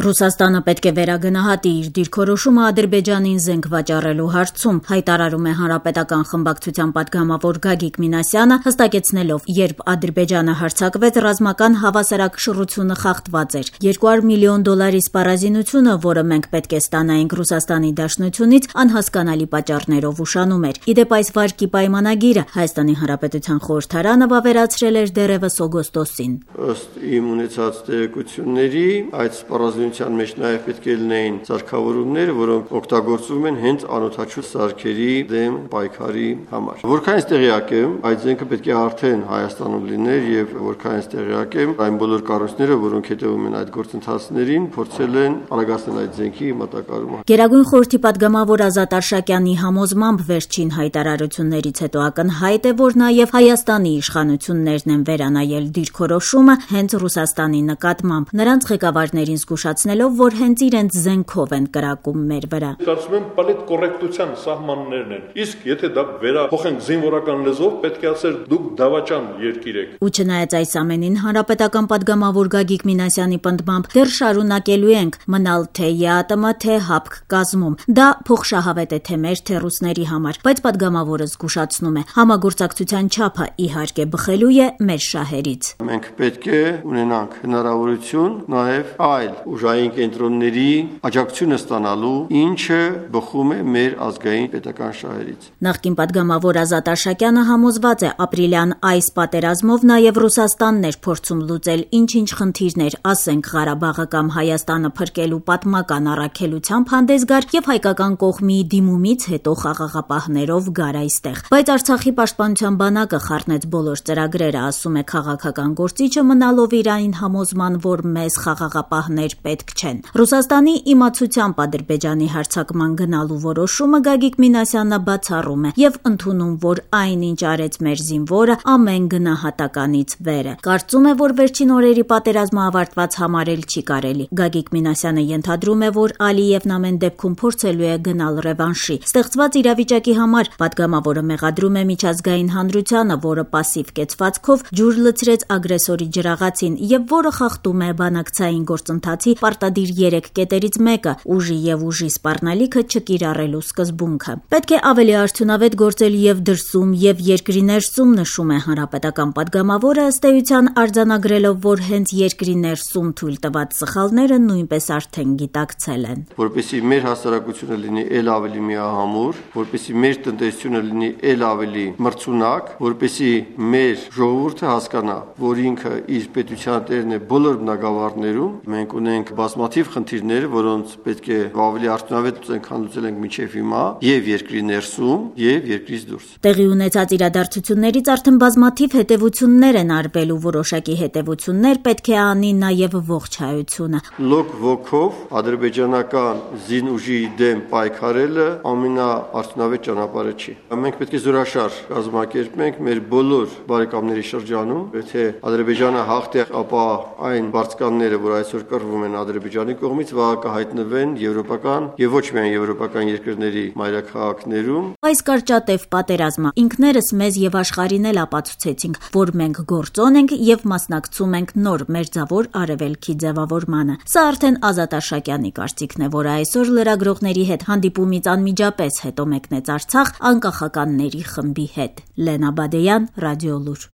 Ռուսաստանը պետք է վերագնահատի իր դիրքորոշումը Ադրբեջանին զենք վաճառելու հարցում, հայտարարում է Հանրապետական խմբակցության պատգամավոր Գագիկ Մինասյանը, հստակեցնելով, երբ Ադրբեջանը հարձակվեց, ռազմական հավասարակշռությունը խախտված էր։ $200 միլիոն սպառազինությունը, որը մենք պետք է ստանայինք Ռուսաստանի Դաշնությունից, անհասկանալի պատճառներով ուշանում էր։ Իդեպ այս վարկի պայմանագիրը Հայաստանի Հանրապետության խորհրդարանը վավերացրել էր դեռևս օգոստոսին։ Ըստ իմ ունեցած տեղեկությունների, այդ սպառազինության մեջ նաև պետք է լինեին սարքավորումներ, որոնք օգտագործվում են հենց անօդաչու սարքերի դեմ պայքարի համար։ Որքանից տեղյակ եմ, այդ զենքը պետք է արդեն Հայաստանում լիներ եւ որքանից տեղյակ եմ, այն բոլոր կառույցները, որոնք հետևում են այդ գործընթացներին, փորձել են արագացնել այդ զենքի մատակարարումը։ Գերագույն խորհրդի պատգամավոր Ազատ Արշակյանի համոզմամբ վերջին հայտարարություններից հետո ակնհայտ է, որ նաև Հայաստանի իշխանություններն են վերանայել դիրքորոշումը հենց Ռուսաստանի նկատմամբ, նրանց ղեկավարներին զգուշացնելով, որ հենց իրենց զենքով են կրակում մեր վրա։ Կարծում եմ պոլիտկոռեկտության սահմաններն են։ Իսկ եթե դա վերափոխենք զինվորական լեզվով, պետք է ասել դուք դավաճան երկիր եք։ Ու չնայած այս ամենին, Հանրապետական պատգամավոր Գագիկ Մինասյանի պնդմամբ դեռ շարունակելու ենք մնալ թե ԵԱՏՄ, թե ՀԱՊԿ կազմում։ Դա փոխշահավետ է թե մեր, թե ռուսների համար, բայց պատգամավորը զգուշացնում է, համագործակցության չափը իհարկե բխելու է մեր շահերից։ Մենք պետք է ունենանք հնարավորություն նաև այլ ուժային կենտրոնների աջակցությունը ստանալու, ինչը բխում է մեր ազգային պետական շահերից։ Նախկին պատգամավոր Ազատ Արշակյանը համոզված է, ապրիլյան այս պատերազմով նաև Ռուսաստանն էր փորձում լուծել ինչ-ինչ խնդիրներ, ասենք Ղարաբաղը կամ Հայաստանը փրկելու պատմական առաքելությամբ հանդես գար եւ հայկական կողմի դիմումից հետո խաղաղապահներով գար այստեղ։ Բայց Արցախի պաշտպանության բանակը խառնեց բոլոր ծրագրերը, ասում է քաղաքական գործիչը, մնալով իր այն համոզման, որ մեզ խաղաղապահներ պետք չեն։ Ռուսաստանի իմացությամբ Ադրբեջանի հարձակման գնալու որոշումը Գագիկ Մինասյանը բացառում է եւ ընդունում, որ այն, ինչ արեց մեր զինվորը, ամեն գնահատականից վեր է։ Կարծում է, որ վերջին օրերի պատերազմը ավարտված համարել չի կարելի։ Գագիկ Մինասյանը ենթադրում է, որ Ալիևն ամեն դեպքում փորձելու է գնալ ռևանշի։ Ստեղծված իրավիճակի համար պատգամավորը մեղադրում է միջազգային հանրությանը, որը պասիվ կեցվածքով ջուր լցրեց ագրեսորի ջրաղացին եւ որը խախտում է բանակցային գործընթացի պարտադիր 3 կետերից մեկը՝ ուժի եւ ուժի սպառնալիքը չկիրառելու սկզբունքը։ Պետք է ավելի արդյունավետ գործել եւ դրսում եւ երկրի ներսում, նշում է հանրապետական պատգամավորը, ըստ էության արձանագրելով, որ հենց երկրի ներսում թույլ տված սխալները նույնպես արդեն գիտակցել են։ Որպեսզի մեր հասարակությունը լինի ել ավելի միահամուռ, որպեսզի մեր տնտեսությունը լինի ել ավելի մրցունակ, որպեսզի մեր ժողովուրդը հասկանա, որ ինքը իր պետության տերն է բոլոր բնակավարներում, մենք ունենք բազմաթիվ խնդիրներ, որոնց պետք է ավելի արդյունավետ լուծենք, քան լուծել ենք մինչև հիմա, եւ երկրի ներսում, եւ երկրից դուրս։ Տեղի ունեցած իրադարձություններից արդեն բազմաթիվ հետևություններ են արվելու, որոշակի հետևություններ պետք է անի նաեւ ողջ հայությունը։ Լոկ ոգով ադրբեջանական զինուժի դեմ պայքարելը ամենաարդյունավետ ճանապարհը չի։ Մենք պետք է զորաշար կազմակերպենք մեր բոլոր բարեկամների շրջանում, եթե Ադրբեջանը հաղթի, ապա այն բարձկանները, որ այսօր կռվում են Ադրբեջանի կողմից, վաղ կհայտնվեն եվրոպական եւ ոչ միայն եվրոպական երկրների մայրաքաղաքներում։ Այս կարճատև պատերազմը ինքներս մեզ եւ աշխարհին էլ ապացուցեցինք, որ մենք գործոն ենք եւ մասնակցում ենք նոր մերձավոր արևելքի ձևավորմանը։ Սա արդեն Ազատ Արշակյանի կարծիքն է, որը այսօր լրագրողների հետ հանդիպումից անմիջապես հետո մեկնեց Արցախ անկախականների խմբի հետ։ Լենա Բադեյան, Ռադիոլուր։